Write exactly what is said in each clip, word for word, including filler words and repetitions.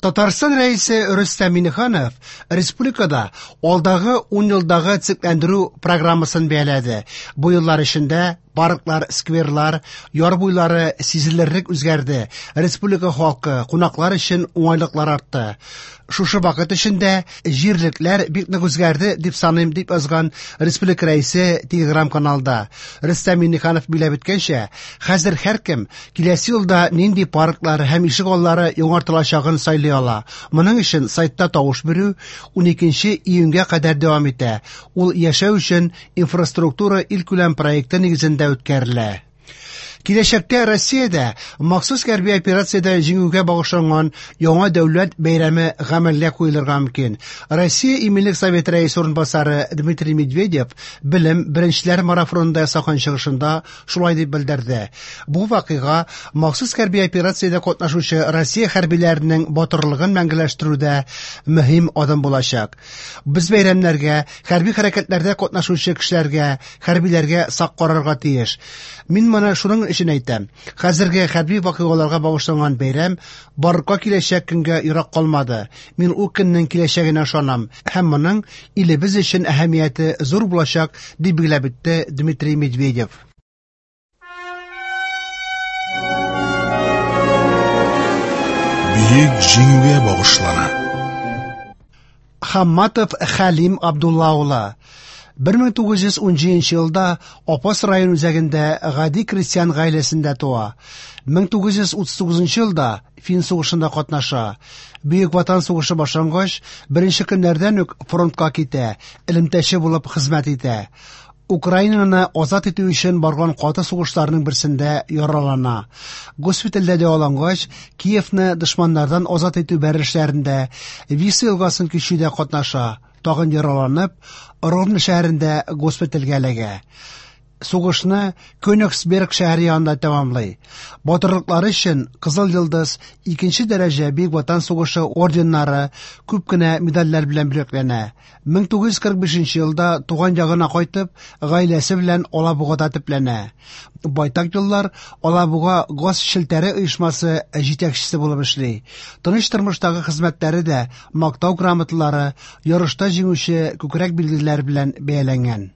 Татарстан Рәисе Рөстәм Миңнеханов республикада алдагы ун елдагы төзекләндерү программасын бәяләде. Бу еллар эчендә парклар, скверлар, яр буйлары сизелерлек үзгәрде. Республика халкы, кунаклар өчен уңайлыклар артты. Шушы вакыт эчендә җирлекләр бик нык үзгәрде дип саныйм, дип язган республика рәисе Телеграм-каналда. Рөстәм Миңнеханов билгеләп үткәнчә, хәзер һәркем киләсе елда нинди парклар һәм ишек аллары яңартылачагын сайлый ала. Моның өчен сайтта тавыш бирү уникенче июньгә кадәр дәвам итә. Ул яшәү өчен инфраструктура илкүләм проекты нигезендә үткәрелә. Киләчәктә Россиядә махсус хәрби операциядә җиңүгә багышланган яңа дәүләт бәйрәме гамәлгә куелырга мөмкин. Россия Иминлек Советы рәисе урынбасары Дмитрий Медведев белем беренчеләр марафонында ясаган чыгышында шулай дип белдерде. Бу вакыйга махсус хәрби операциядә катнашучы Россия хәрбиләренең батырлыгын мәңгеләштерүдә мөһим адым булачак. Без бәйрәмнәргә, хәрби хәрәкәтләрдә катнашучы кешеләргә, хәрбиләргә сак карарга тиеш. Мин моны шуның өчен әйтәм. Хәзерге хәрби вакыйгаларга багышланган бәйрәм барлыкка киләчәк көнгә ерак калмады. Мин ул көннең киләчәгенә ышанам һәм моның илебез өчен әһәмияте зур булачак, дип билгеләп үтте Дмитрий Медведев. Бөек җиңүгә багышлана. Хамматов Хәлим Абдулла улы бер мең тугыз йөз унҗиденче елда Апас район үзәгендә гади крестьян гаиләсендә туа. мең тугыз йөз утыз тугызынчы елда Фин сугышында катнаша. Бөек Ватан сугышы башлангач, беренче көннәрдән үк фронтка китә, элемтәче булып хезмәт итә. Украинаны азат итү өчен барган каты сугышларның берсендә яралана. Госпитальдә дәвалангач, Киевны дошманнардан азат итү бәрелешләрендә Висла елгасын кичүдә катнаша. Тагын яраланып, Ровно шәһәрендә госпитальгә эләгә. Сугышны Кёнигсберг шәһәре янында тәмамлый. Батырлыклары өчен Кызыл Йолдыз, икенче дәрәҗә Бөек Ватан сугышы орденнары, күп кенә медальләр белән бүләкләнә. мең тугыз йөз кырык бишенче елда туган ягына кайтып, гаиләсе белән Алабугада төпләнә. Байтак еллар Алабуга газ челтәре оешмасы җитәкчесе булып эшли. Тыныч тормыштагы хезмәтләре дә мактау грамоталары, ярышта җиңүче күкрәк билгеләре белән бәяләнгән.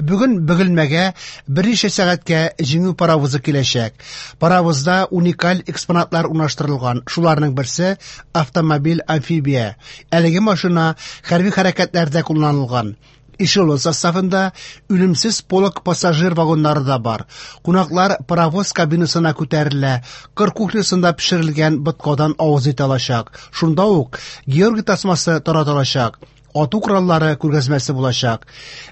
Бүген Бөгелмәгә берничә сәгатькә җиңү паровозы киләчәк. Паровозда уникаль экспонатлар урнаштырылган. Шуларның берсе автомобиль-амфибия. Әлеге машина хәрби хәрәкәтләрдә кулланылган. Эшелон составында үлемсез полк пассажир вагоннары да бар. Кунаклар паровоз кабинасына күтәрелә, кыр кухнясында пешерелгән боткадан авыз итә алачак. Шунда ук Георгий тасмасы таратылачак. Ату кораллары күргәзмәсе булачак.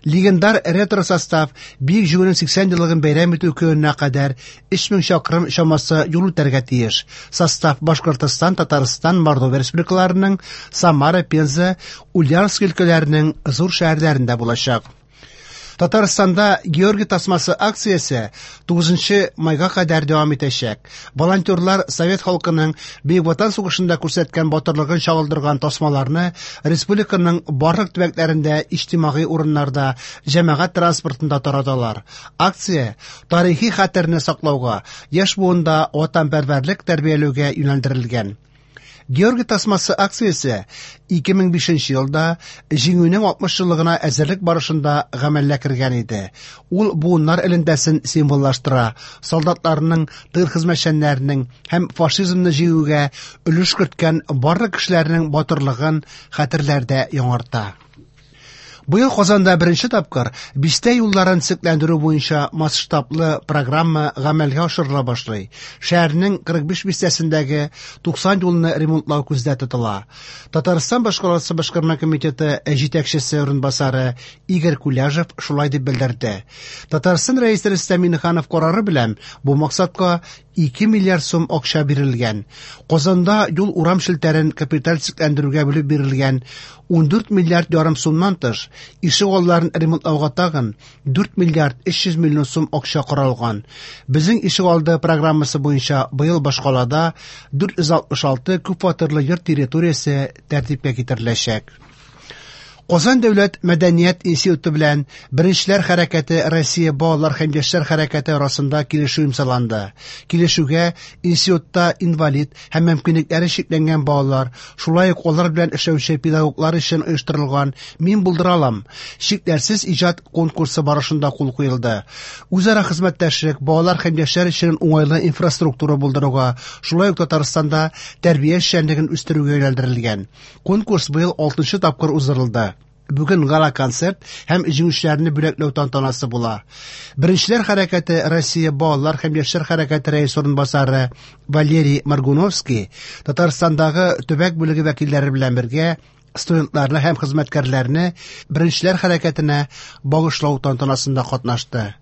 Легендар ретро состав Бөек Җиңүнең сиксән еллыгын бәйрәм итү көненә кадәр өч мең чакрым чамасы юл үтәргә тиеш. Состав Башкортостан, Татарстан, Мордовия республикаларының, Самара, Пенза, Ульяновск өлкәләренең зур шәһәрләрендә булачак. Татарстанда Георгий тасмасы акциясе тугызынчы майга кадәр дәвам итәчәк. Волонтерлар совет халкының Бөек Ватан сугышында күрсәткән батырлыгын чагылдырган тасмаларны республиканың барлык төбәкләрендә иҗтимагый урыннарда, җәмәгать транспортында тараталар. Акция тарихи хәтерне саклауга, яшь буында ватанпәрвәрлек тәрбияләүгә юнәлдерелгән. Георгий тасмасы акциясе ике мең бишенче елда Җиңүнең алтмыш еллыгына әзерлек барышында гамәлгә кергән иде. Ул буыннар элемтәсен символлаштыра, солдатларның, тыл хезмәтчәннәренең һәм фашизмны җиңүгә өлеш керткән барлык кешеләрнең батырлыгын хәтерләрдә яңарта. Быел Казанда беренче тапкыр бистә юлларын төзекләндерү буенча масштаблы программа гамәлгә ашырыла башлый. Шәһәрнең кырык биш бистәсендәге туксан юлны ремонтлау күздә тотыла. Татарстан башкаласы башкарма комитеты җитәкчесе урынбасары Игорь Куляжев шулай дип белдерде. Татарстан рәисе Рөстәм Миңнеханов карары белән бу максатка ике миллиард сум акча бирелгән. Казанда юл урам челтәрен капиталь төзекләндерүгә бүлеп бирелгән ундүрт миллиард ярым сумнан тыш, ишек алларын ремонтлауга тагын дүрт миллиард өч йөз миллион сум акча каралган. Безнең ишек алды программасы буенча быел башкалада дүрт йөз алтмыш алты күп фатирлы йорт территориясе тәртипкә китереләчәк. Казан дәүләт мәдәният институты белән Беренчеләр хәрәкәте Россия балалар һәм яшьләр хәрәкәте арасында килешү имзаланды. Килешүгә институтта инвалид һәм мөмкинлекләре чикләнгән балалар, шулай ук алар белән эшләүче педагоглар өчен оештырылган «Мин булдыра алам» чикләрсез иҗат конкурсы барышында кул куелды. Үзара хезмәттәшлек балалар һәм яшьләр өчен уңайлы инфраструктура булдыруга, шулай ук Татарстанда тәрбия эшчәнлеген үстерүгә юнәлдерелгән. Конкурс быел алтынчы тапкыр уздырылды. Бүген гала-концерт һәм җиңүчеләрне бүләкләү тантанасы була. Беренчеләр хәрәкәте Россия балалар һәм яшьләр хәрәкәте рәисе урынбасары Валерий Маргуновский Татарстандагы төбәк бүлеге вәкилләре белән бергә студентларны һәм хезмәткәрләрне Беренчеләр хәрәкәтенә багышлау тантанасында катнашты.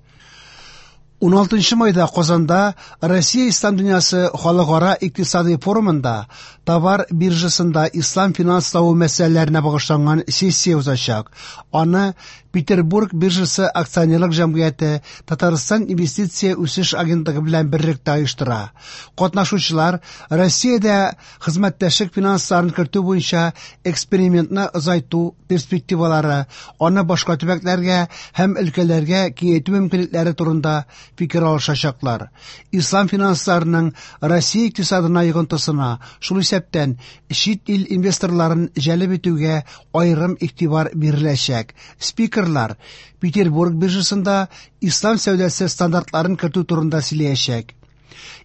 уналтынчы майда Казанда Россия Ислам дөньясы халыкара икътисади форумында товар биржасында ислам финанславы мәсьәләләренә багышланган сессия узачак. Аны Петербург биржасы акционерлык җәмгыяте Татарстан инвестиция үсеш агентлыгы белән берлектә оештыра. Катнашучылар Россиядә хезмәттәшлек финансларын кертү буенча экспериментны озайту перспективалары, аны башка төбәкләргә һәм өлкәләргә киңәйтү мөмкинлекләре турында фикер алышачаклар. Ислам финансларының Россия икътисадына йогынтысына, шул исәптән чит ил инвесторларын җәлеп итүгә аерым игътибар биреләчәк. Спикерлар Петербург биржасында ислам сәүдәсе стандартларын кертү турында сөйләячәк.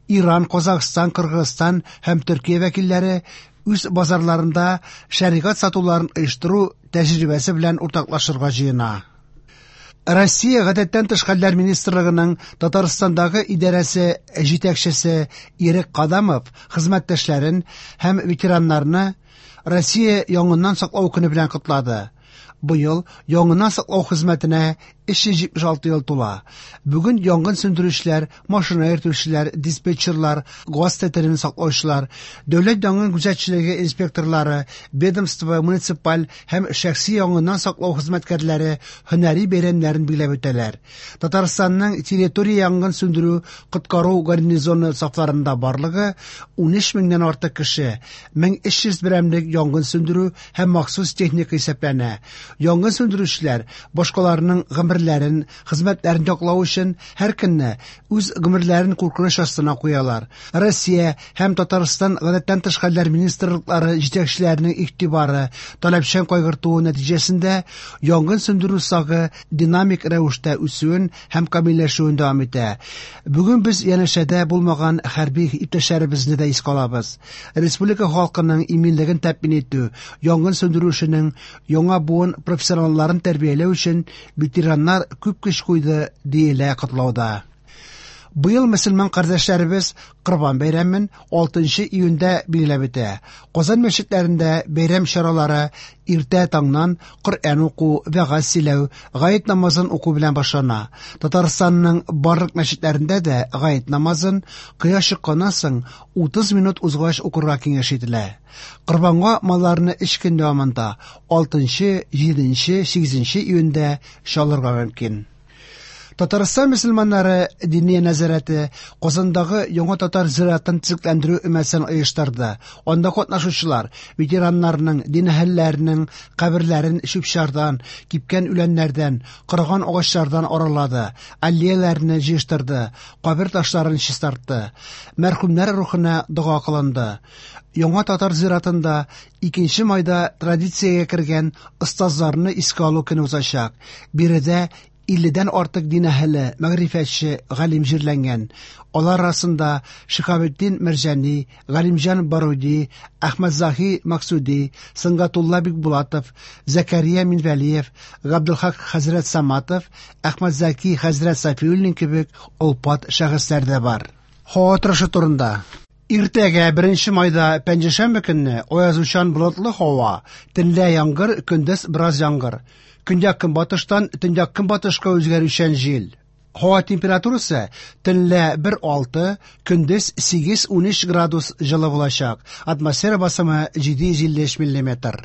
Иран, Казахстан, Кыргызстан һәм Төркия вәкилләре үз базарларында шәригать сатуларын оештыру тәҗрибәсе белән уртаклашырга җыена. Россия гадәттән тыш хәлләр министрлыгының Татарстандагы идарәсе җитәкчесе Ирек Кадамов хезмәттәшләрен һәм ветераннарны Россия янгыннан саклау көне белән котлады. Быел янгыннан саклау хезмәтенә өч йөз җитмеш алты ел тула. Бүген янгын сүндерүчеләр, машина йөртүчеләр, диспетчерлар, газ тәтелен саклаучылар, дәүләт янгын күзәтчелеге инспекторлары, ведомство, муниципаль һәм шәхси янгыннан саклау хезмәткәрләре һөнәри бәйрәмнәрен билгеләп үтәләр. Татарстанның территория янгын сүндерү коткару гарнизоны сафларында барлыгы ун өч меңнән артык кеше, мең өч йөз берәмлек янгын сүндерү һәм махсус техника исәпләнә. Янгын сүндерүчеләр башкаларның гомерләрен, хезмәтләрен яклау өчен һәр көнне үз гомерләрен куркыныч астына куялар. Россия һәм Татарстан гадәттән тыш хәлләр министрлыклары җитәкчеләренең игътибары, таләпчән кайгыртуы нәтиҗәсендә янгын сүндерү сагы динамик рәвештә үсүен һәм камилләшүен дәвам итә. Бүген без янәшәдә булмаган хәрби иптәшләребезне дә искә алабыз. Республика халкының иминлеген тәэмин итү, янгын сүндерү эшенең яңа буын профессионалларын тәрбияләү өчен ветераннар күп көч куйды, диелә котлауда. Быел мөселман кардәшләребез Корбан бәйрәмен алтынчы июньдә билгеләп үтә. Казан мәчетләрендә бәйрәм чаралары иртә таңнан Коръән уку, вәгазь сөйләү, гает намазын уку белән башлана. Татарстанның барлык мәчетләрендә дә гает намазын кояш чыкканнан соң утыз минут узгач укырга киңәш ителә. Корбанга малларны өч көн дәвамында алтынчы, җиденче, сигезенче июньдә чалырга мөмкин. Татарстан мөселманнары диния нәзарәте Казандагы яңа татар зиратын төзекләндерү өмәсен оештырды. Анда катнашучылар ветераннарның, дин әһелләренең каберләрен чүп-чардан, кипкән үләннәрдән, корыган агачлардан аралады, аллеяләрне җыештырды, кабер ташларын чистартты. Мәрхүмнәр рухына дога кылынды. Яңа татар зиратында икенче майда традициягә кергән остазларны искә алу көне узачак. Биредә илледән артык дин әһеле, мәгърифәтче, галим җирләнгән. Алар арасында Шиһабетдин Мәрҗани, Галимҗан Баруди, Әхмәтзаһи Максуди, Сөнгатулла Бикбулатов, Зәкәрия Минвәлиев, Габдулхак хәзрәт Саматов, Әхмәтзаки хәзрәт Сафиуллин кебек олпат шәхесләр дә бар. Һава торышы турында. Иртәгә беренче майда пәнҗешәмбе көнне аязучан болытлы һава, төнлә яңгыр, көндез бераз яңгыр. Көньяк көнбатыштан төньяк көнбатышка үзгәрүчән җил. Һава температурасы төнлә бер алты, көндез сигез унөч градус җылы булачак. Атмосфера басымы җиде йөз илле өч миллиметр.